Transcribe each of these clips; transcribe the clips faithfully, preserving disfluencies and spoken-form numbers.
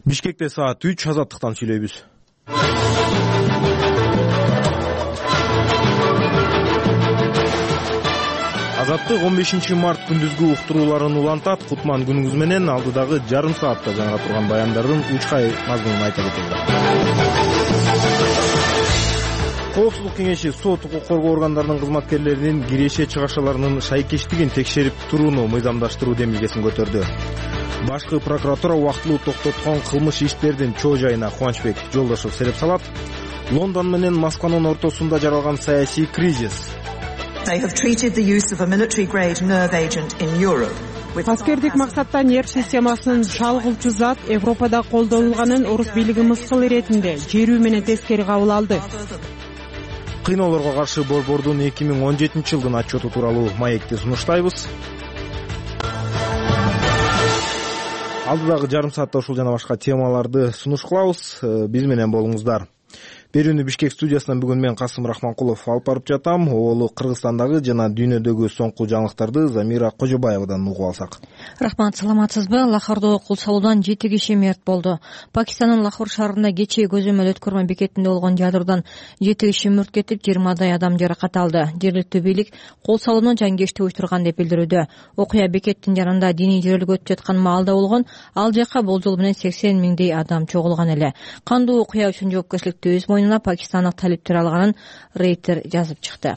Бишкекте саат үч, Азаттыктан сүйлөйбүз. Азаттык он бешинчи март күндүзгү уктурууларын улантат. Кутман күнүңүз менен алдыдагы жарым саатта жаңыра турган баяндардын учкай мазмунун айта кетели. Коопсуздук кеңеши сот, укук коргоо органдарынын кызматкерлеринин киреше чыгашаларынын шайкештигин текшерип турууну мыйзамдаштыруу демилгесин көтөрдү. Башкы прокуратура убактылуу токтоткон кылмыш иштердин чоо жайына Кубанычбек Жолдошов сереп салат. Лондон менен Москванын ортосунда жаралган саясий кризис. Аскердик максатта нерв системасын шалгылчу зат Европада колдонулганын орус бийлиги мыскыл иретинде жерүү менен тескери кабыл алды. Кыйноолорго каршы борбордун эки миң он жетинчи жылдын отчету тууралуу маекти сунуштайбыз. Алдыдагы жарым саатта ушул жана башка темаларды сунуш кылабыз. Биз менен болуңуздар. Берүүнү Бишкек студиясынан бүгүн мен Касым Рахманкулов алып барып жатам. Оолу Кыргызстандагы жана дүйнөдөгү соңку жаңылыктарды Замира Кожобаевадан угуп алсак. Рахмат, саламатсызбы? Лахордо кул салуудан жети киши мерт болду. Пакистандын Лахор шаарында кечээ көзөмөл өткөрмө бекетинде болгон ядырдан жети киши мүрт кетип, жыйырмадай адам жаракат алды. Жергиликтүү бийлик кол салууну жанкечти уюштурган деп билдирүүдө. Окуя бекеттин жанында диний жөрөлүк өтүп жаткан маалда болгон. Ал жака болжол менен сексен миңдей адам чогулган эле. Кандуу окуя үчүн жоопкерчиликти өз мойнуна пакистандык талиптер алганын Рейтер жазып чыкты.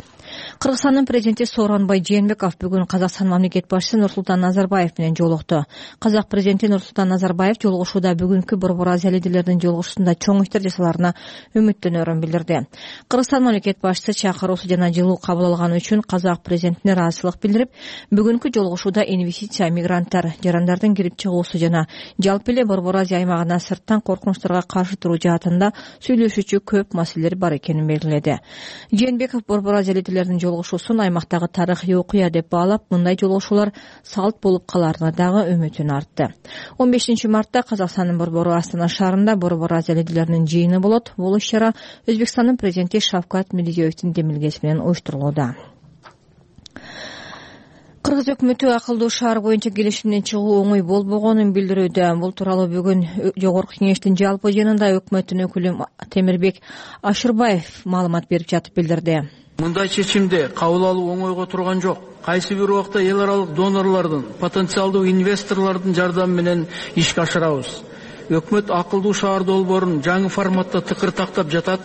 Кыргызстандын президенти Сооронбай Жээнбеков бүгүн Казакстан мамлекет башчысы Нурсултан Назарбаев менен жолукту. Казак президенти Нурсултан Назарбаев жолугушууда бүгүнкү Борбор Азия лидерлеринин жолугушуусунда чоң иштер жасаларына үмүттөнөрүн билдирди. Кыргызстан мамлекет башчысы чакыруусу жана жылуу кабыл алганы үчүн казак президентине ыраазычылык билдирип, бүгүнкү жолугушууда инвестиция, мигранттар, жарандардын кирип чыгуусу жана жалпы эле Борбор Азия аймагына сырттан коркунучтарга каршы туруу жаатында сүйлөшүүчү көп маселелер бар экенин белгиледи. Жээнбеков Борбор Азия лидерлеринин жолугушуусун аймактагы тарыхый окуя деп баалап, мындай жолугушуулар салт болуп каларына дагы үмүтүн артты. он бешинчи мартта Казакстандын борбору Астана шаарында Борбор Азия лидерлеринин жыйыны болот. Бул иш-чара Өзбекстандын президенти Шавкат Мирзиёевдин демилгеси менен уюштурулууда. Кыргыз өкмөтү акылдуу шаар боюнча келишимден чыгуу оңой болбогонун билдирүүдө. Бул тууралуу бүгүн Жогорку кеңештин жалпы жыйынында өкмөттүн өкүлү Темирбек Ашырбаев маалымат берип жатып билдирди. Мындай чечимди кабыл алуу оңойго турган жок. Кайсы бир убакта эл аралык донорлордун, потенциалдуу инвесторлордун жардамы менен ишке ашырабыз. Өкмөт акылдуу шаар долбоорун жаңы форматта тыкыр-тактап жатат.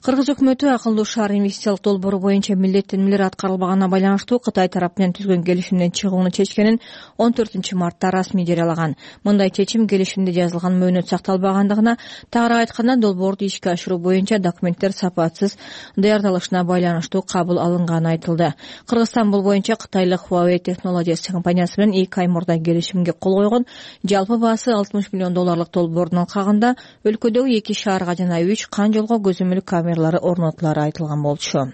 Кыргыз өкмөтү акылдуу шаар инвестициялык долбоору боюнча милдеттенмелер аткарылбаганына байланыштуу Кытай тарапы менен түзгөн келишимден чыгууну чечкенин он төртүнчү мартта расмий жарыялаган. Мындай чечим келишимде жазылган мөөнөт сакталбагандыгына, тагыраак айтканда долбоорду ишке ашыруу боюнча документтер сапатсыз даярдалышына байланыштуу кабыл алынганы айтылды. Кыргызстан бул боюнча кытайлык Huawei Technologies компаниясы менен эки ай мурда келишимге кол койгон. Жалпы баасы алтымыш миллион долларлык долбоордун алкагында өлкөдөгү эки шаарга жана үч кан жолго көзөмөл камера орнотулары айтылган болчу.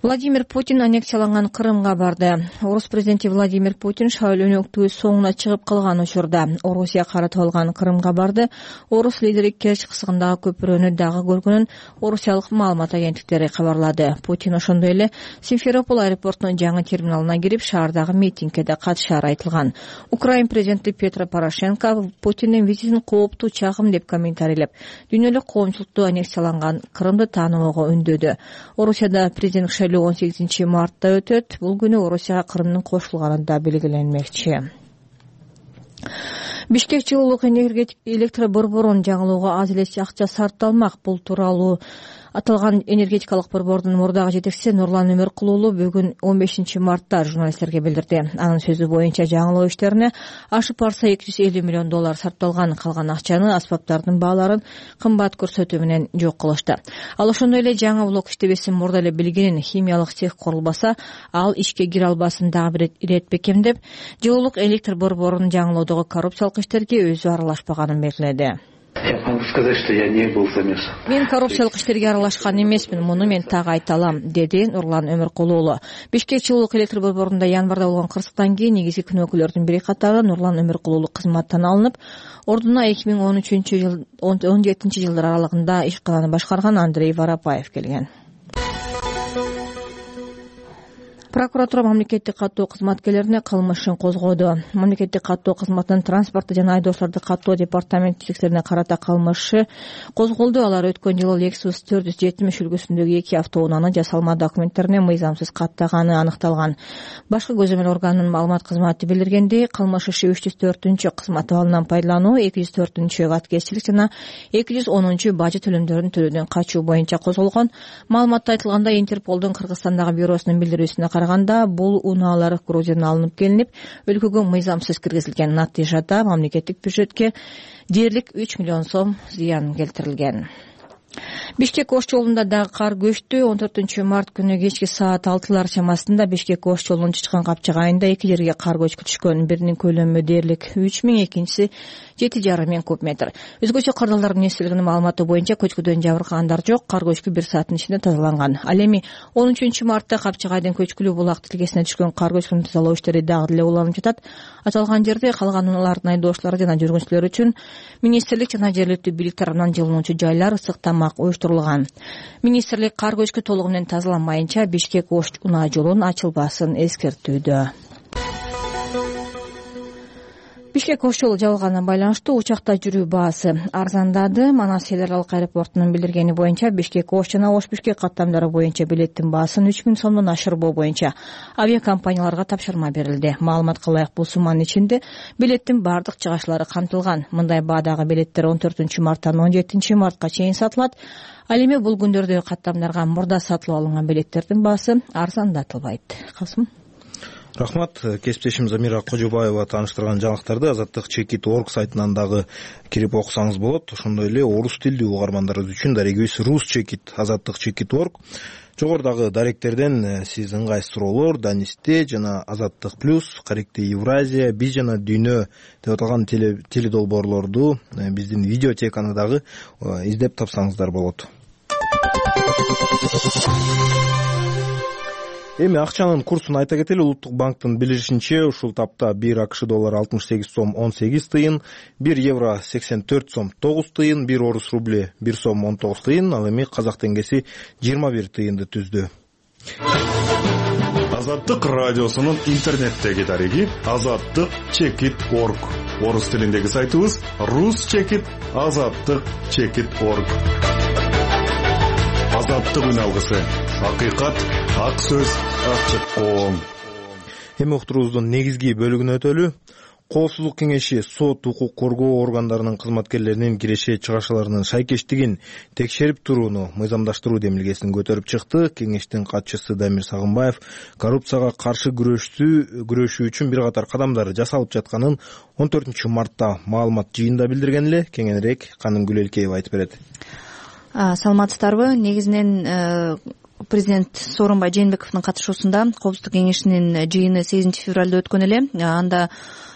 Владимир Путин аннексияланган Крымга барды. Орус президенти Владимир Путин шайлоонуктуу соңуна чыгып калган учурда Орусия каратып алган Крымга барды. Орус лидери Керчь кысыгындагы көпүрөнү дагы көргөнүн орусиялык маалымат агенттиктери кабарлады. Путин ошондой эле Симферополь аэропортунун жаңы терминалына кирип, шаардагы митингке да катышары айтылган. Украин президенти Петро Порошенко Путиндин визитин кооптуу чагым деп комментарийлеп, дүйнөлүк коомчулукту аннексияланган Крымды тааныбоого үндөдү. Орусияда президент шайлоо он сегизинчи мартта өтөт. Бул күнү Орусияга Крымдын кошулганы да белгиленмекчи. Бишкек жылуулук электр борборун жаңылоого аз эле акча сарпталмак. Бул тууралуу аталган энергетикалык борбордун мурдагы жетекчиси Нурлан Өмөркулуулу бүгүн он бешинчи мартта журналисттерге билдирди. Анын сөзү боюнча жаңылоо иштерине ашып барса эки жүз элүү миллион доллар сарпталган. Калган акчаны аспаптардын бааларын кымбат көрсөтүү менен жок кылышты. Ал ошондой эле жаңы блок иштебесин мурда эле билгенин, химиялык цех курулбаса ал ишке кире албасын дагы бир ирет бекем деп, жылуулук электр борборун жаңылоодогу коррупциялык иштерге өзү аралашпаганын белгиледи. Я могу сказать, что я не был замешан. Мен коррупциялык иштерге аралашкан эмесмин, муну мен так айта алам, деди Нурлан Өмөркулуулу. Бишкек жылуулук электр борборунда январда болгон кырсыктан кийин негизги күнөөкүлөрдүн бири катары Нурлан Өмөркулуулу кызматтан алынып, ордуна эки миң он үчүнчү жыл он жетинчи жылдар аралыгында ишкананы башкарган Андрей Воропаев келген. Прокуратура мамлекеттик каттоо кызматкерлерине кылмышын козгоду. Мамлекеттик каттоо кызматынын транспорту жана айдоочуларды каттоо департаментчиликтерине карата кылмышы козголду. Алар өткөн жылы Lexus төрт жүз жетимиш үлгүсүндөгү эки автоунааны жасалма документтерине мыйзамсыз каттаганы аныкталган. Башкы көзөмөл органынын маалымат кызматы билдиргендей, кылмыш иши үч жүз төртүнчү кызмат абалынан пайдалануу, эки жүз төртүнчү каткезчилик жана эки жүз онунчу бажы төлөмдөрүн төлөөдөн качуу боюнча козголгон. Маалыматта айтылгандай, Интерполдун Кыргызстандагы бюросунун билдирүүсүнө караганда, бул унаалар Грузиядан алынып келинип, өлкөгө мыйзамсыз киргизилген. Натыйжада мамлекеттик бюджетке дээрлик үч миллион сом зыян келтирилген. Бишкек Ош жолунда дагы кар көчтү. он төртүнчү март күнү кечки саат алтылар чамасында Бишкек Ош жолунун Чычкан Капчак айында эки жерге кар көчкү түшкөн. Биринин көлөмү дээрлик үч миң, экинчиси жети жарым миң куб метр. Өзгөчө кырдаалдардын эстелигинин маалыматы боюнча көчкүдөн жабыркагандар жок. Кар көчкү бир сааттын ичинде тазаланган. Ал эми он үчүнчү мартта Капчак айдын көчкүлүү булак тилкесине түшкөн кар көчкүнү тазалоо иштери дагы деле уланып жатат. Аталган жерде калган унаалардын айдоочулары жана жүргүнчүлөр үчүн министрлик жана жергиликтүү бийлик тарабынан жылынуучу жайлар, ысык тамак уюштурулган. Министрлик кар көчкү толугу менен тазаланмайынча Бишкек Ош унаа жолун ачылбасын эскертүүдө. Бишкек Ош жолу жабылганына байланыштуу учакта жүрүү баасы арзандады. Манас эл аралык аэропортунун билдиргени боюнча Бишкек Ош жана Ош Бишкек каттамдары боюнча билеттин баасын үч миң сомдон ашырбоо боюнча авиакомпанияларга тапшырма берилди. Маалыматка ылайык, бул сумманын ичинде билеттин бардык жыгачтары камтылган. Мындай баадагы билеттер он төртүнчү марттан он жетинчи мартка чейин сатылат. Ал эми бул күндөрдө каттамдарга мурда сатылып алынган билеттердин баасы арзандатылбайт. Касым. Рахмат. Кесиптешим Замира Кожобаева тааныштырган жаңылыктарды азаттык чекит точка орг сайтынан дагы кирип окусаңыз болот. Ошондой эле орус тилдүү угармандарыбыз үчүн дарегибиз Русчекит азаттык чекит точка орг. Жогорудагы даректерден сиз ыңгайсыз суроолор, Данисте жана Азаттык плюс, Каректи Евразия, Биз жана Дүйнө деп аталган теледолбоорлорду биздин видеотеканы дагы издеп тапсаңыздар болот. Эми акчанын курсун айта кетели. Улуттук банктын билдиришинче, ушул тапта бир АКШ доллары алтымыш сегиз сом он сегиз тыйын, бир евро сексен төрт сом тогуз тыйын, бир орус рубли бир сом он тогуз тыйын, ал эми казак теңгеси жыйырма бир тыйынды түздү. Азаттык радиосунун интернеттеги дареги азаттык чекит точка орг. Орус тилиндеги сайтыбыз Русчекит азаттык чекит точка орг. Азаттык үн алгысы. Акыйкат, ак сөз, ачык коом. Эми уктурубуздун негизги бөлүгүнө өтөлү. Коопсуздук кеңеши сот, укук коргоо органдарынын кызматкерлеринин киреше чыгашаларынын шайкештигин текшерип турууну мыйзамдаштыруу демилгесин көтөрүп чыкты. Кеңештин катчысы Дамир Сагынбаев коррупцияга каршы күрөшүү күрөшүү үчүн бир катар кадамдар жасалып жатканын он төртүнчү мартта маалымат жыйында билдирген эле. Кеңенирээк Каным Гүлелкеева айтып берет. Саламатсыздарбы? Негизинен президент Сооронбай Жээнбековдун катышуусунда Коопсуздук кеңешинин жыйыны сегизинчи февралда өткөн эле. Анда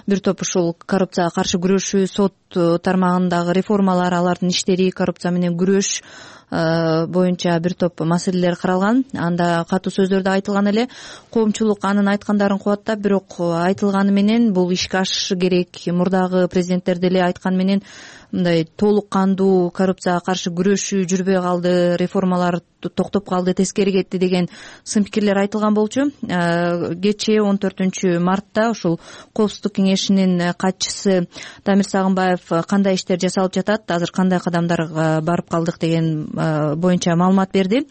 бир топ ушул коррупцияга каршы күрөшүү, сот тармагындагы реформалар, алардын иштери, коррупция менен күрөш боюнча бир топ маселелер каралган. Анда катуу сөздөр да айтылган эле. Коомчулук анын айткандарын кубаттап, бирок айтылганы менен бул ишке ашышы керек. Мурдагы президенттер деле айткан менен мындай толук кандуу коррупцияга каршы күрөшүү жүрбөй калды, реформалар токтоп калды, тескери кетти деген сын пикирлер айтылган болчу. Кечээ он төртүнчү мартта ушул Коопсуздук кеңешинин катчысы Дамир Сагынбаев кандай иштер жасалып жатат, азыр кандай кадамдарга барып калдык деген боюнча маалымат берди.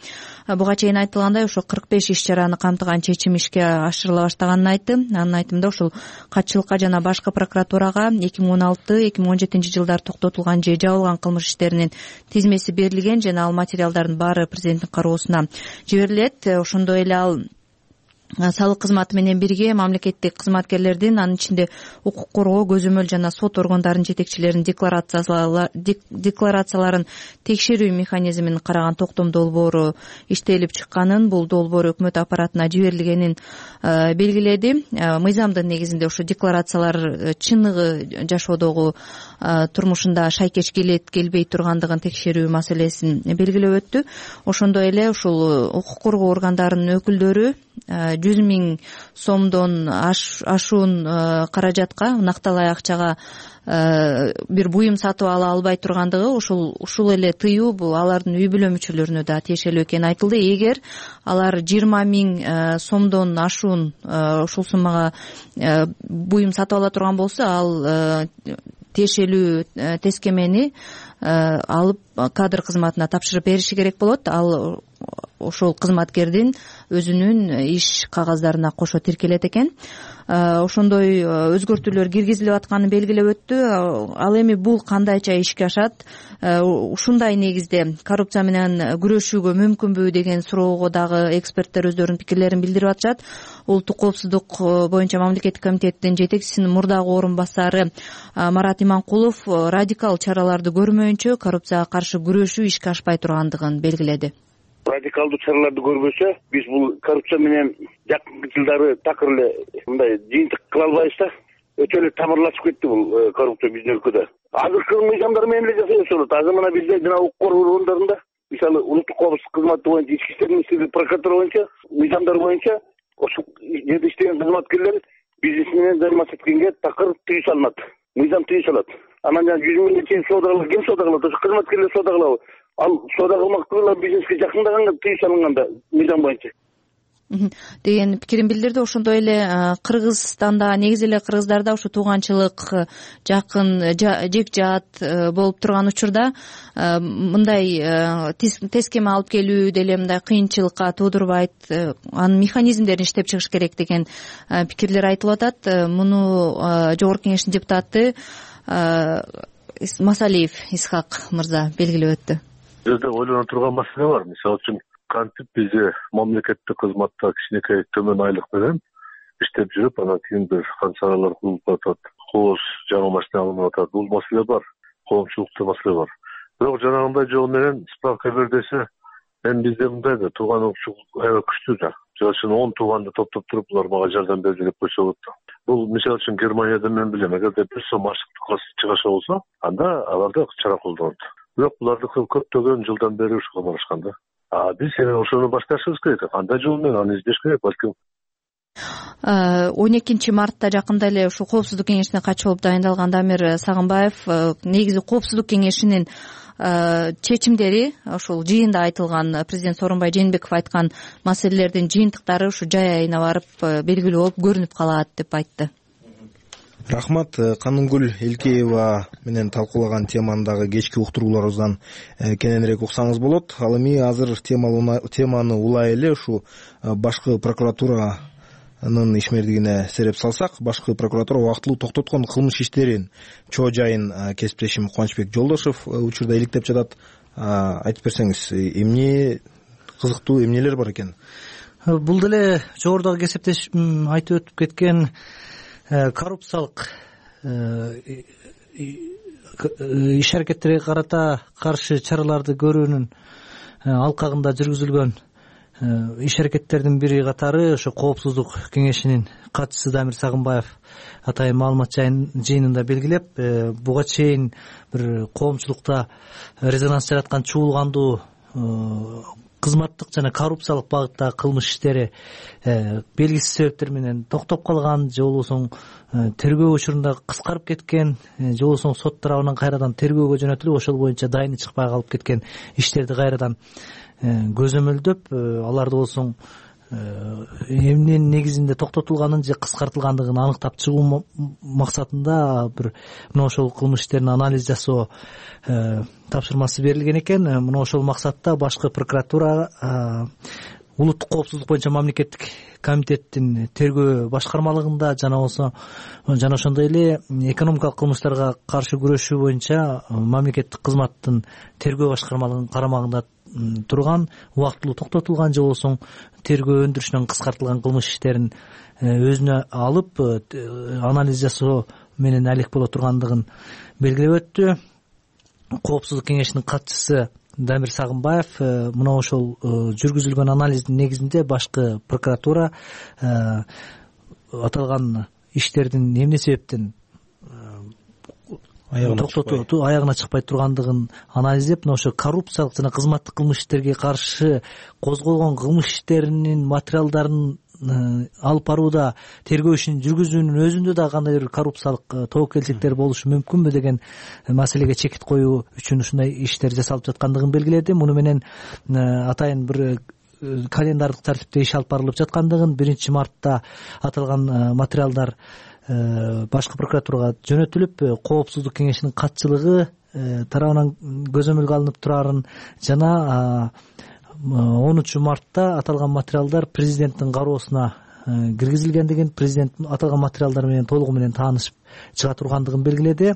Буга чейин айтылгандай, ошо кырк беш иш чараны камтыган чечим ишке ашырыла баштаганын айтты. Анын айтымында ушул катчылыкка жана башкы прокуратурага эки миң он алты эки миң он жетинчи жылдары токтотулган же жабылган кылмыш иштеринин тизмеси берилген жана ал материалдардын баары президенттин кароосуна жиберилет. Ошондой эле ал салык кызматы менен бирге мамлекеттик кызматкерлердин, анын ичинде укук коргоо, көзөмөл жана сот органдарынын жетекчилеринин декларацияларын текшерүү механизмин караган токтом долбоору иштелип чыкканын, бул долбоор өкмөт аппаратына жиберилгенин белгиледи. Мыйзамдын негизинде ошо декларациялар чыныгы жашоодогу турмушунда шайкеш келет, келбей тургандыгын текшерүү маселесин белгилеп өттү. Ошондой эле ушул укук коргоо органдарынын өкүлдөрү жүз миң сомдон ашуун каражатка, накталай акчага бир буюм сатып ала албай тургандыгы, ушул ушул эле тыюу бул алардын үй бүлө мүчөлөрүнө да тиешелүү экени айтылды. Эгер алар жыйырма миң сомдон ашуун ушул суммага буюм сатып ала турган болсо, ал тиешелүү тескемени алып кадр кызматына тапшырып бериши керек болот. Ал ошол кызматкердин өзүнүн иш кагаздарына кошо тиркелет экен. Ошондой өзгөртүүлөр киргизилип атканын белгилеп өттү. Ал эми бул кандайча ишке ашат, ушундай негизде коррупция менен күрөшүүгө мүмкүнбү деген суроого дагы эксперттер өздөрүнүн пикирлерин билдирип атышат. Улуттук коопсуздук боюнча мамлекеттик комитеттин жетекчисинин мурдагы орун басары Марат Иманкулов радикал чараларды көрмөйүнчө коррупцияга каршы күрөшүү ишке ашпай тургандыгын белгиледи. Радикалдуу чараларды көрбөсө, биз бул коррупция менен жакынкы жылдары такыр эле мындай жыйынтык кыла албайбыз да. Өтө эле тамырлашып кетти бул коррупция биздин өлкөдө. Азыркы мыйзамдар менен эле жасалып болот. Азыр мына бизде жана укук коргоо органдарында, мисалы улуттук коопсуздук кызматы боюнча, ички иштер министрлиги, прокуратура боюнча, мыйзамдар боюнча ошол жерде иштеген кызматкерлер бизнес менен займашып эткенге такыр тыюу салынат. Мыйзам тыюу салат. Анан жана жүз миңге чейин соода кылат, ким соода кылат? Ошо кызматкерлер соода кылабы? Ал соода кылмактуу бизнеске жакындаганга тыюу салынганда мыйзам боюнча деген пикирин билдирди. Ошондой эле Кыргызстанда, негизи эле кыргыздарда ушу тууганчылык, жакын, жек жаат болуп турган учурда мындай тескеме алып келүү деле мындай кыйынчылыкка туудурбайт, анын механизмдерин иштеп чыгыш керек деген пикирлер айтылып атат. Муну Жогорку Кеңештин депутаты Масалиев Исхак мырза белгилеп өттү. Жерде ойлоно турган маселе бар. Мисалы үчүн кантип бизде мамлекеттик кызматта кичинекей төмөн айлык менен иштеп жүрүп, анан кийин бир канчалар кылып атат, кооз жаңы машина алынып атат. Бул маселе бар, коомчулукта маселе бар. Бирок жанагындай жол менен справка бер десе, эми бизде мындай да тууган урукчулук аябай күчтүү да. Жол үчүн он тууганды топтоп туруп, булар мага жардам берди деп койсо болот да. Бул мисалы үчүн Германияда мен билем, эгерде бир сом аштык чыгаша болсо, анда аларда чара колдонот. Бирок булардыкы көптөгөн жылдан бери ушуга барышкан да. А биз эми ошону башташыбыз керек. Кандай жол менен аны издеш керек, балким. он экинчи мартта жакында эле ушул Коопсуздук кеңешине катчы болуп дайындалган Дамир Сагынбаев негизи Коопсуздук кеңешинин чечимдери, ошол жыйында айтылган президент Сооронбай Жээнбеков айткан маселелердин жыйынтыктары ушу жай айына барып белгилүү болуп көрүнүп калат деп айтты. Рахмат. Канунгүл Элкеева менен талкуулаган теманы дагы кечки уктурууларыбыздан кененирээк уксаңыз болот. Ал эми азыр теманы улай эле ушу башкы прокуратуранын ишмердигине сереп салсак, башкы прокуратура убактылуу токтоткон кылмыш иштерин чоо жайын кесиптешим Кубанычбек Жолдошев учурда иликтеп жатат. Айтып берсеңиз, эмне кызыктуу, эмнелер бар экен? Бул деле жогорудагы кесиптешим айтып өтүп кеткен коррупциялык иш аракеттерге карата каршы чараларды көрүүнүн алкагында жүргүзүлгөн иш аракеттердин бири катары ошо Коопсуздук кеңешинин катчысы Дамир Сагынбаев атайын маалымат жыйынында белгилеп, буга чейин бир коомчулукта резонанс жараткан чуулгандуу кызматтык жана коррупциялык багыттагы кылмыш иштери белгисиз себептер менен токтоп калган, же болбосо тергөө учурунда кыскарып кеткен, же болбосо сот тарабынан кайрадан тергөөгө жөнөтүлүп, ошол боюнча дайыны чыкпай калып кеткен иштерди кайрадан көзөмөлдөп, аларды болсо эмненин негизинде токтотулганын же кыскартылгандыгын аныктап чыгуу максатында бир мына ошол кылмыш иштерин анализ жасоо тапшырмасы берилген экен. Мына ошол максатта башкы прокуратура улуттук коопсуздук боюнча мамлекеттик комитеттин тергөө башкармалыгында жана болсо жана ошондой эле экономикалык кылмыштарга каршы күрөшүү боюнча мамлекеттик кызматтын тергөө башкармалыгынын карамагында турган, убактылуу токтотулган же болбосо тергөө өндүрүшүнөн кыскартылган кылмыш иштерин өзүнө алып анализ жасоо менен алек боло тургандыгын белгилеп өттү. Коопсуздук кеңешинин катчысы Дамир Сагынбаев мына ошол жүргүзүлгөн анализдин негизинде башкы прокуратура аталган иштердин эмне себептен токтотуу аягына чыкпай тургандыгын анализдеп, мына ошо коррупциялык жана кызматтык кылмыш иштерге каршы козголгон кылмыш иштеринин материалдарын алып барууда тергөө ишин жүргүзүүнүн өзүндө да кандайдыр бир коррупциялык тобокелчиликтер болушу мүмкүнбү деген маселеге чекит коюу үчүн ушундай иштер жасалып жаткандыгын белгиледи. Муну менен атайын бир календардык тартипте иш алып барылып жаткандыгын, биринчи мартта аталган материалдар башкы прокуратурага жөнөтүлүп, коопсуздук кеңешинин катчылыгы тарабынан көзөмөлгө алынып турарын жана онунчу мартта аталган материалдар президенттин кароосуна киргизилгендигин, президент аталган материалдар менен толугу менен таанышып чыга тургандыгын белгиледи.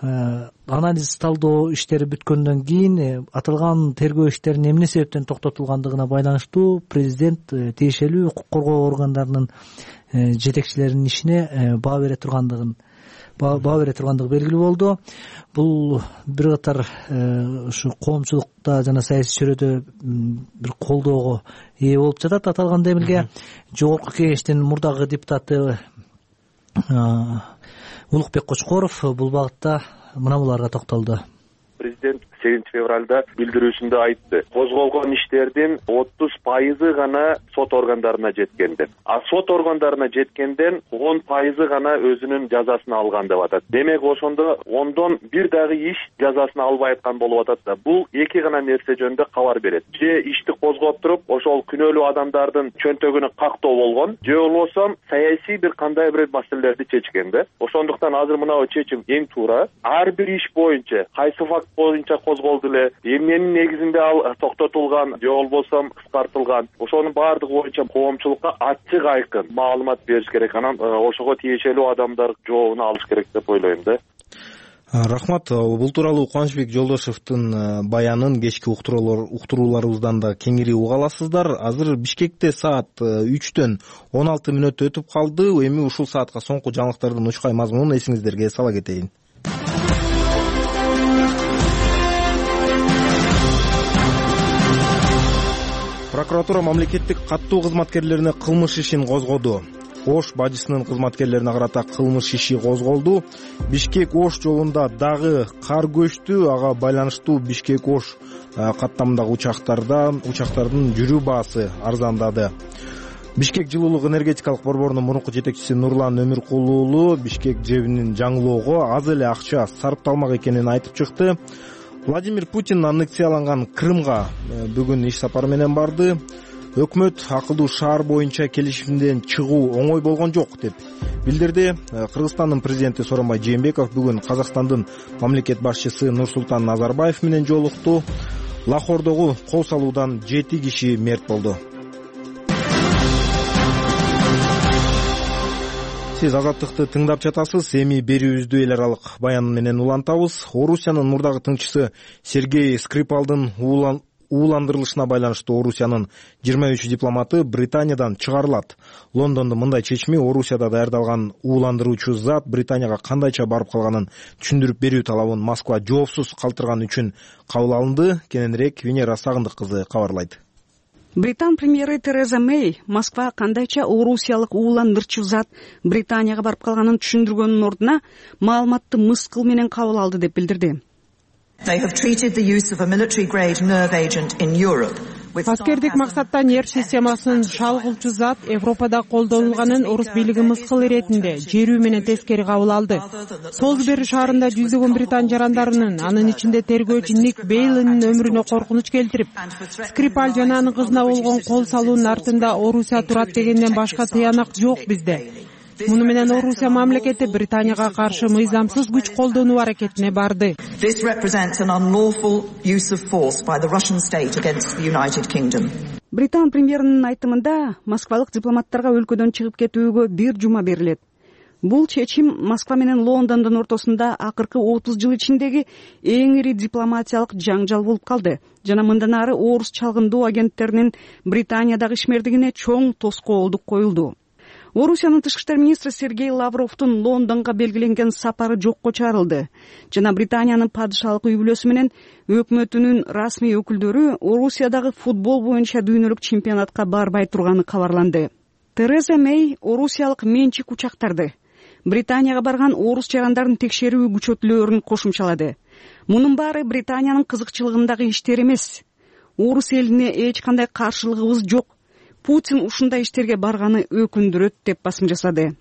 Анализ талдоо иштери бүткөндөн кийин аталган тергөө иштеринин эмне себептен токтотулгандыгына байланыштуу президент тиешелүү укук коргоо органдарынын жетекчилеринин ишине баа бере тургандыгын баа бере тургандыгы белгилүү болду. Бул бир катар ушу коомчулукта жана саясий чөйрөдө бир колдоого ээ болуп жатат. Аталган демилге жогорку кеңештин мурдагы депутаты Улукбек Кочкоров бул багытта мына буларга токтолду. Президент сегизинчи февралда билдирүүсүндө айтты, козголгон иштердин отуз пайызы гана сот органдарына жеткен деп. А сот органдарына жеткенден он пайызы гана өзүнүн жазасын алган деп атат. Демек ошондо ондон бир дагы иш жазасын албай аткан болуп атат да. Бул эки гана нерсе жөнүндө кабар берет. Же ишти козгоп туруп, ошол күнөөлүү адамдардын чөнтөгүнө кактоо болгон, же болбосо саясий бир кандай бир маселелерди чечкен да. Ошондуктан азыр мына чечим эң туура. Ар бир иш боюнча, кайсы факт боюнча козголду эле, эмненин негизинде ал токтотулган, же болбосо кыскартылган, ошонун баардыгы боюнча коомчулукка ачык айкын маалымат бериш керек. Анан ошого тиешелүү адамдар жообун алыш керек деп ойлойм да. Рахмат. Бул тууралуу Кубанычбек Жолдошевдун баянын кечки уктурууларыбыздан да кеңири уга аласыздар. Азыр Бишкекте саат үчтөн он алты мүнөт өтүп калды. Эми ушул саатка соңку жаңылыктардын учкай мазмунун эсиңиздерге сала кетейин. Прокуратура мамлекеттик каттуу кызматкерлерине кылмыш ишин козгоду. Ош бажысынын кызматкерлерине карата кылмыш иши козголду. Бишкек-Ош жолунда дагы кар көчтү. Ага байланыштуу Бишкек-Ош каттамындагы учактарда учактардын жүрүү баасы арзандады. Бишкек жылуулук энергетикалык борборунун мурунку жетекчиси Нурлан Өмүркулуу уулу Бишкек жебинин жаңылоого аз эле акча сарпталмак экенин айтып чыкты. Владимир Путин аннексияланган Крымга бүгүн иш сапары менен барды. Өкмөт акылдуу шаар боюнча келишимден чыгуу оңой болгон жок деп билдирди. Кыргызстандын президенти Сооронбай Жээнбеков бүгүн Казакстандын мамлекет башчысы Нурсултан Назарбаев менен жолукту. Лахордогу кол салуудан жети киши мерт болду. Сиз Азаттыкты тыңдап жатасыз. Эми берүүбүздү эл аралык баян менен улантабыз. Орусиянын мурдагы тыңчысы Сергей Скрипалдын ууландырылышына байланыштуу Орусиянын жыйырма үч дипломаты Британиядан чыгарылат. Лондондун мындай чечими Орусияда даярдалган ууландыруучу зат Британияга кандайча барып калганын түшүндүрүп берүү талабын Москва жоопсуз калтырган үчүн кабыл алынды. Кененирээк Венера Сагындык кызы кабарлайт. Британ премьери Тереза Мэй Москва кандайча орусиялык ууландырчу зат Британияга барып калганын түшүндүргөндүн ордуна маалыматты мыскыл менен кабыл алды деп билдирди. Аскердик максатта нерв системасын шалгуучу зат Европада колдонулганын орус бийлиги мыскыл иретинде жерүү менен тескери кабыл алды. Солсбери шаарында жүздөгөн британ жарандарынын, анын ичинде тергөөчү Ник Бейлинин өмүрүнө коркунуч келтирип, Скрипаль жана анын кызына болгон кол салуунун артында Орусия турат дегенден башка тыянак жок бизде. Муну менен Орусия мамлекети Британияга каршы мыйзамсыз күч колдонуу аракетине барды. Британ премьеринин айтымында москвалык дипломаттарга өлкөдөн чыгып кетүүгө бир жума берилет. Бул чечим Москва менен Лондондун ортосунда акыркы отуз жыл ичиндеги эң ири дипломатиялык жаңжал болуп калды жана мындан ары орус чалгындоо агенттеринин Британиядагы ишмердигине чоң тоскоолдук коюлду. Орусиянын тышкы иштер министри Сергей Лавровдун Лондонго белгиленген сапары жокко чыгарылды жана Британиянын падышалык үй бүлөсү менен өкмөтүнүн расмий өкүлдөрү Орусиядагы футбол боюнча дүйнөлүк чемпионатка барбай турганы кабарланды. Тереза Мэй орусиялык менчик учактарды Британияга барган орус жарандарын текшерүү күчөтүлөөрүн кошумчалады. Мунун баары Британиянын кызыкчылыгындагы иштер эмес. Орус элине эч кандай каршылыгыбыз жок. Путин ушундай иштерге барганы өкүндүрөт деп басым жасады.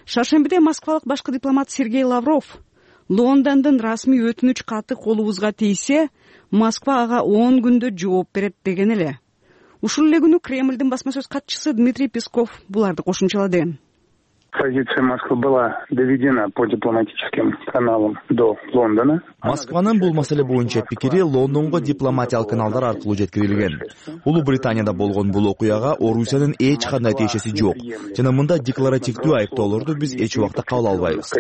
Шаршембиде москвалык башкы дипломат Сергей Лавров Лондондун расмий өтүнүч каты колубузга тийсе, Москва ага он күндө жооп берет деген эле. Ушул эле күнү Кремлдин басма сөз катчысы Дмитрий Песков буларды кошумчалады. Позиция Москвы была доведена по дипломатическим каналам до Лондона. Москванын бул маселе боюнча пикири Лондонго дипломатиялык каналдар аркылуу жеткирилген. Улуу Британияда болгон бул окуяга Орусиянын эч кандай тиешеси жок. Жана мында декларативдүү айыптоолорду биз эч убакта кабыл албайбыз.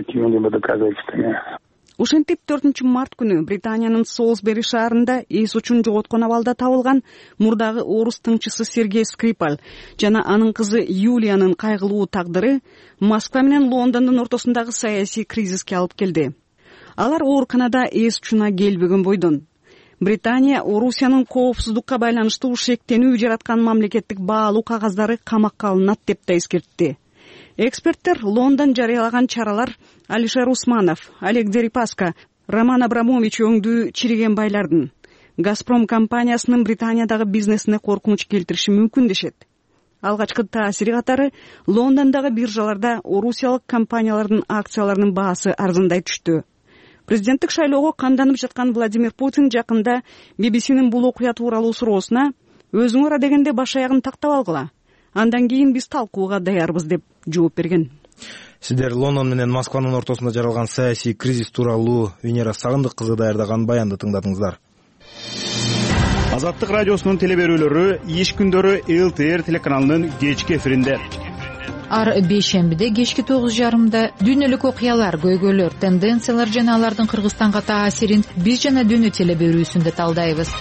Ошентип төртүнчү март күнү Британиянын Солсбери шаарында эс учун жоготкон абалда табылган мурдагы орус тыңчысы Сергей Скрипаль жана анын кызы Юлиянын кайгылуу тагдыры Москва менен Лондондун ортосундагы саясий кризиске алып келди. Алар ооруканада эс учуна келбеген бойдон. Британия Орусиянын коопсуздукка байланыштуу шектенүү жараткан мамлекеттик баалуу кагаздары камакка алынат деп да эскертти. Эксперттер Лондон жарыялаган чаралар Алишер Усманов, Олег Дерипаска, Роман Абрамович өңдүү чириген байлардын Газпром компаниясынын Британиядагы бизнесине коркунуч келтириши мүмкүн дешет. Алгачкы таасири катары Лондондогу биржаларда орусиялык компаниялардын акцияларынын баасы арзандай түштү. Президенттик шайлоого камданып жаткан Владимир Путин жакында би би синин бул окуя тууралуу суроосуна өзүңөр адегенде баш аягын тактап алгыла. Андан кийин биз талкууга даярбыз деп жооп берген. Сиздер Лондон менен Москванын ортосунда жаралган саясий кризис тууралуу Венера Сагындык кызы даярдаган баянды тыңдадыңыздар. Азаттык радиосунун телеберүүлөрү иш күндөрү эл ти эр телеканалынын кечки эфиринде. Ар бейшембиде кечки тогуз жарымда дүйнөлүк окуялар, көйгөйлөр, тенденциялар жана алардын Кыргызстанга таасирин биз жана дүйнө телеберүүсүндө талдайбыз.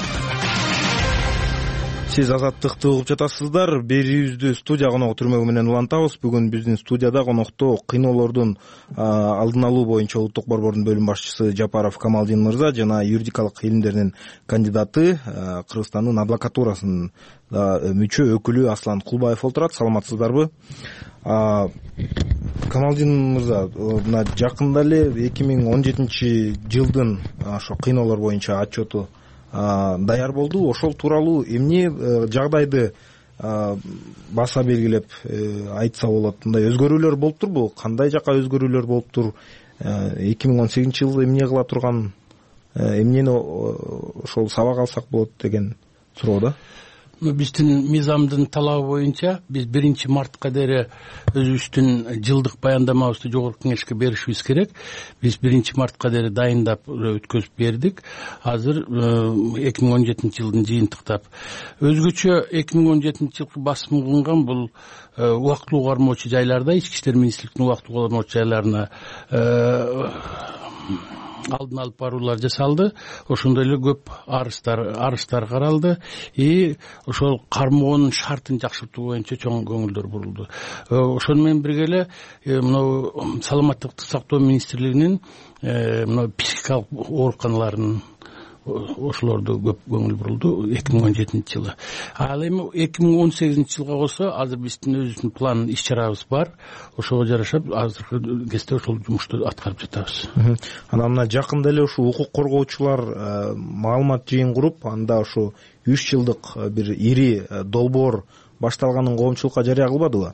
Сиз Азаттыкты угуп жатасыздар. Берүүбүздү студия коногу түрмөгү менен улантабыз. Бүгүн биздин студияда конокто кыйноолордун алдын алуу боюнча улуттук борбордун бөлүм башчысы Жапаров Камалдин мырза жана юридикалык илимдеринин кандидаты, Кыргызстандын адвокатурасынын мүчө өкүлү Аслан Кулбаев отурат. Саламатсыздарбы? Камалдин мырза, мына жакында эле эки миң он жетинчи жылдын ошо кыйноолор боюнча отчету даяр болду. Ошол тууралуу эмне жагдайды баса белгилеп айтса болот? Мындай өзгөрүүлөр болуптурбу? Кандай жака өзгөрүүлөр болуптур? эки миң он сегизинчи жылы эмне кыла турган, эмнени ошол сабак алсак болот деген суроо да. Биздин мыйзамдын талабы боюнча биз биринчи мартка дейин өзүбүздүн жылдык баяндамабызды жогорку кеңешке беришибиз керек. Биз биринчи мартка дейин дайындап өткөзүп бердик. Азыр эки миң он жетинчи жылдын жыйынтыктап. Өзгөчө эки миң он жетинчи жылкы басым кылынган бул убактылуу кармоочу жайларда, ички иштер министрлигинин убактылуу кармоочу жайларына алдын алып баруулар жасалды. Ошондой эле көп арыздар арыздар каралды. И ошол кармоонун шартын жакшыртуу боюнча чоң көңүлдөр бурулду. Ошону менен бирге эле мына саламаттыкты сактоо министрлигинин мына психикалык ооруканаларынын ошолорду көп көңүл бурулду эки миң он жетинчи жылы. Ал эми эки миң он сегизинчи жылга болсо азыр биздин өзүбүздүн план иш чарабыз бар. Ошого жарашып азыркы кезде ошол жумушту аткарып жатабыз. Анан мына жакында эле ушу укук коргоочулар маалымат жыйын куруп, анда ушу үч жылдык бир ири долбоор башталганын коомчулукка жарыя кылбадыбы?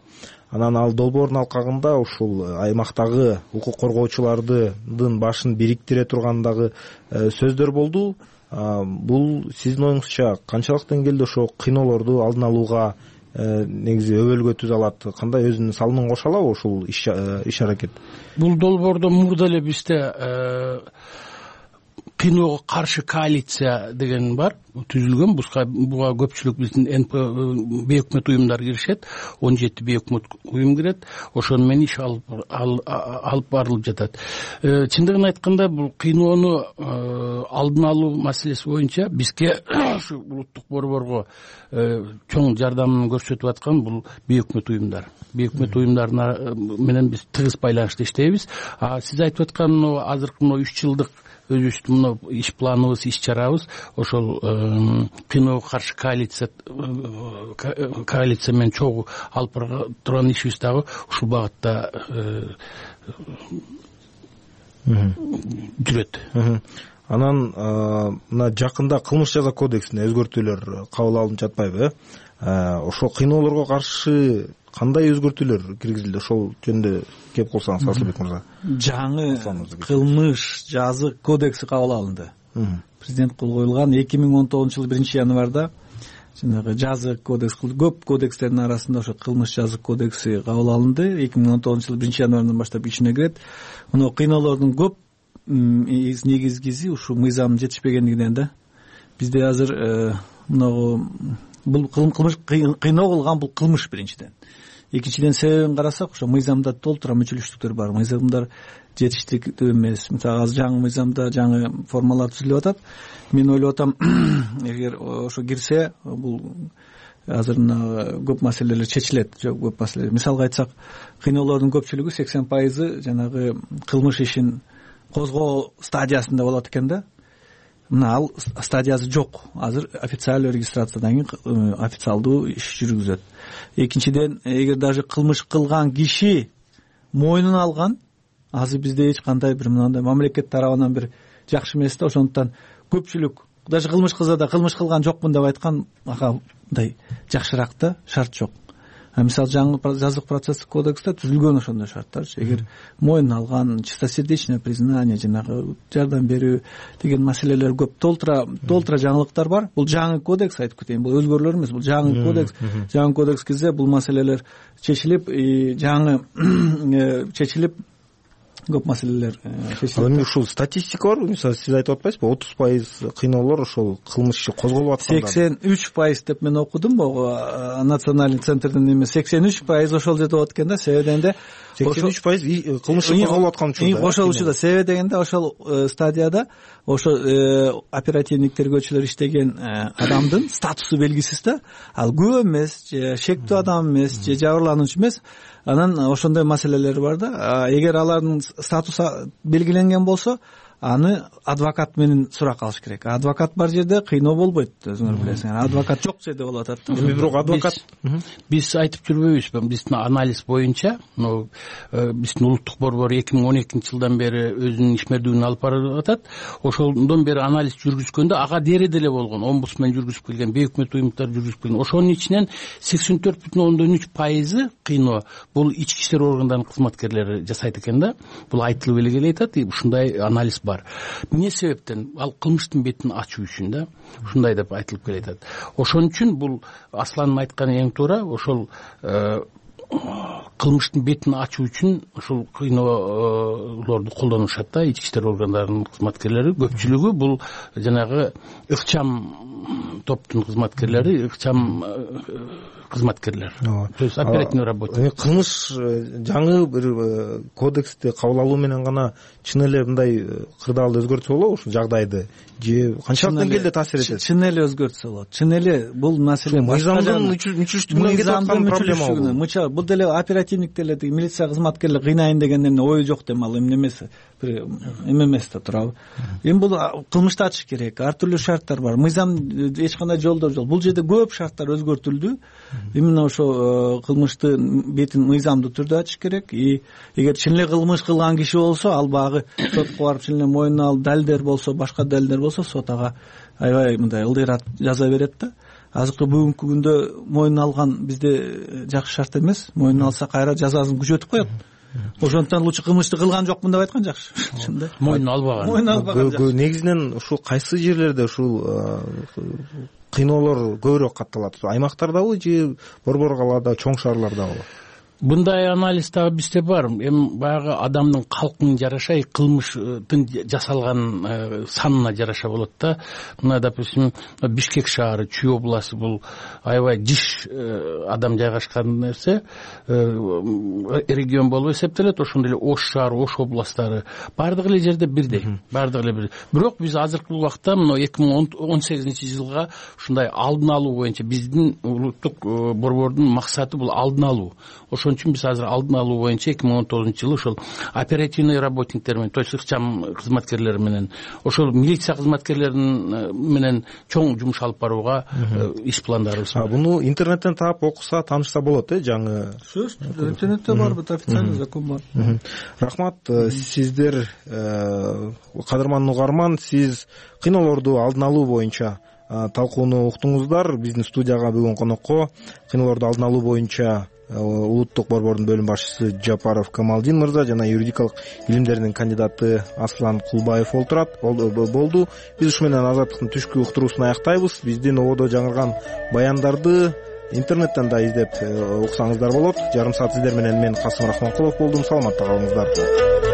Анан ал долбоордун алкагында ушул аймактагы укук коргоочулардын башын бириктире тургандагы сөздөр болду. Бул сиздин оюңузча канчалык деңгээлде ошо кыйноолорду алдын алууга негизи өбөлгө түзө алат? Кандай өзүнүн салымын кошо алабы ушул иш аракет? Бул долбоордо мурда эле бизде кыйноого каршы коалиция деген бар, түзүлгөн. Буга көпчүлүк биздин бейөкмөт уюмдар киришет, он жети бейөкмөт уюм кирет. Ошону менен иш алып барылып жатат. Чындыгын айтканда, бул кыйноону алдын алуу маселеси боюнча бизге ушу улуттук борборго чоң жардамын көрсөтүп аткан бул бейөкмөт уюмдар. Бейөкмөт уюмдар менен биз тыгыз байланышта иштейбиз. Сиз айтып аткан азыркы үч жылдык өзүбүздүн мына иш планыбыз, иш чарабыз ошол кыйноого каршы коалиция коалиция менен чогуу алып бара турган ишибиз дагы ушул багытта жүрөт. Анан мына жакында кылмыш жаза кодексине өзгөртүүлөр кабыл алынып жатпайбы? э Ошол кыйноолорго каршы кандай өзгөртүүлөр киргизилди? Ошол жөнүндө кеп калсаңыз, Асылбек мырза. Жаңы кылмыш жаза кодекси кабыл алынды. Президент кол коюлган эки миң он тогузунчу жылы биринчи январда жанагы жаза кодекс көп кодекстердин арасында ошо кылмыш жаза кодекси кабыл алынды. эки миң он тогузунчу жылы биринчи январдан баштап күчүнө кирет. Мына кыйноолордун көп негизгиси ушу мыйзам жетишпегендигинен да. Бизде азыр мына бул кылмыш кыйноо кылган бул кылмыш биринчиден. Экинчиден себебин карасак, ошо мыйзамда толтура мүчөлүштүктөр бар. Мыйзамдар жетиштиктүү эмес. Мисалы азыр жаңы мыйзамда жаңы формалар түзүлүп атат. Мен ойлоп атам, эгер ошо кирсе, бул азыр мына көп маселелер чечилет. Жок, көп маселелер. Мисалга айтсак, кыйноолордун көпчүлүгү сексен пайызы жанагы кылмыш ишин козгоо стадиясында болот экен да. Мына ал стадиясы жок. Азыр официалдуу регистрациядан кийин официалдуу иш жүргүзөт. Экинчиден, эгер даже кылмыш кылган киши мойнуна алган, азыр бизде эч кандай бир мындай мамлекет тарабынан бир жакшы эмес да. Ошондуктан көпчүлүк даже кылмыш кылса да кылмыш кылган жокмун деп айткан ага мындай жакшыраак да, шарт жок. Мисалы жаңы жазык процесстик кодексте түзүлгөн ошондой шарттарчы. Эгер мойнуна алган, чистосердечное признание, жанагы жардам берүү деген маселелер көп толтура толтура жаңылыктар бар. Бул жаңы кодекс, айтып кетейин, бул өзгөрүүлөр эмес, бул жаңы кодекс. Жаңы кодекс кирсе бул маселелер чечилип, жаңы чечилип көп маселелер чечилет. Ал эми ушул статистика бар. Мисалы сиз айтып атпайсызбы, отуз пайыз кыйноолор ошол кылмыш иши козголуп атканда. сексен үч пайыз деп мен окудум могу национальный центрдин эме сексен үч пайыз ошол жерде болот экен да. Себеби дегенде сексен үч пайыз кылмыш козголуп аткан учурда. Ошол учурда себеби дегенде ошол стадияда ошо оперативник тергөөчүлөр иштеген адамдын статусу белгисиз да. Ал күбө эмес, же шектүү адам эмес, же жабырлануучу эмес. Анан ошондой маселелер бар да. Эгер алардын статусу белгиленген болсо, аны адвокат менен сурак алыш керек. Адвокат бар жерде кыйноо болбойт, өзүңөр билесиңер. Адвокат жок жерде болуп атат да. Эми бирок адвокат биз айтып жүрбөйбүзбү? Биздин анализ боюнча, биздин улуттук борбор эки миң он экинчи жылдан бери өзүнүн ишмердүүлүгүн алып барып атат. Ошондон бери анализ жүргүзгөндө ага дере деле болгон, омбудсмен жүргүзүп келген, бейөкмөт уюмдар жүргүзүп келген. Ошонун ичинен сексен төрт бүтүн ондон үч пайызы кыйноо бул ички иштер органдарынын кызматкерлери жасайт экен да. Бул айтылып эле келатат, ушундай анализ бар. Эмне себептен? Ал кылмыштын бетин ачуу үчүн да. Ушундай деп айтылып келатат. Ошон үчүн бул Асландын айтканы эң туура. Ошол кылмыштын бетин ачуу үчүн ушул кыйноолорду колдонушат да, ички иштер органдарынын кызматкерлери. Көпчүлүгү бул жанагы ыкчам топтун кызматкерлери, ыкчам кызматкерлер. То есть оперативный работник. Кылмыш жаңы бир кодексти кабыл алуу менен гана чын эле мындай кырдаалды өзгөртсө болобу ушул жагдайды? Же канчалык деңгээлде таасир этет? Чын эле өзгөртсө болот. Чын эле бул маселе мыйзамдын мүчүлүштүгүнөн кетип аткан проблема бул. Бул деле оперативниктер, милиция кызматкерлери кыйнайын дегенден ою жок дем, ал эмне эмес, бир эме эмес да турабы. Эми бул кылмышты ачыш керек. Ар түрдүү шарттар бар. Мыйзам эч кандай жолдор жок. Бул жерде көп шарттар өзгөртүлдү. Именно ошо кылмыштын бетин мыйзамдуу түрдө ачыш керек. И эгер чын эле кылмыш кылган киши болсо, ал багы сотко барып чын эле мойнуна алып далилдер болсо, башка далилдер болсо, сот ага аябай мындай ылдыйраак жаза берет да. Азыркы бүгүнкү күндө мойнуна алган бизде жакшы шарт эмес. Мойнуна алса кайра жазасын күчөтүп коет. Ошондуктан лучше кылмышты кылган жокмун деп айткан жакшы. Чында. Мойнуна албаган. Мойнуна албаган жакшы. Негизинен ушул кайсы жерлерде ушул кыйноолор көбүрөөк катталат? Аймактардабы же борбор калаада, чоң шаарлардабы? Мындай анализ дагы бизде бар. Эми баягы адамдын калкына жараша, кылмыштын жасалган санына жараша болот да. Мына, допустим, Бишкек шаары, Чүй областы бул аябай жиш адам жайгашкан нерсе, регион болуп эсептелет. Ошондой эле Ош шаары, Ош областтары бардык эле жерде бирдей, бардык эле бирдей. Бирок биз азыркы убакта мына эки миң он сегизинчи жылга ушундай алдын алуу боюнча биздин улуттук борбордун максаты бул алдын алуу. Ошон ошон үчүн биз азыр алдын алуу боюнча эки миң он тогузунчу жылы ошол оперативный работниктер менен, то есть ыкчам кызматкерлер менен, ошол милиция кызматкерлерин менен чоң жумуш алып барууга иш пландарыбыз бар. Буну интернеттен таап окуса, таанышса болот э жаңы. Интернетте бар, бут официальный закон бар. Рахмат. Сиздер, кадырман угарман, сиз кыйноолорду алдын алуу боюнча талкууну уктуңуздар. Биздин студияга бүгүн конокко кыйноолорду алдын алуу боюнча улуттук борбордун бөлүм башчысы Жапаров Камалдин мырза жана юридикалык илимдердин кандидаты Аслан Кулбаев олтурат болду. Биз ушу менен Азаттыктын түшкү уктуруусун аяктайбыз. Биздин ободо жаңырган баяндарды интернеттен да издеп уксаңыздар болот. Жарым саат сиздер менен мен Касым Рахманкулов болдум. Саламатта калыңыздар.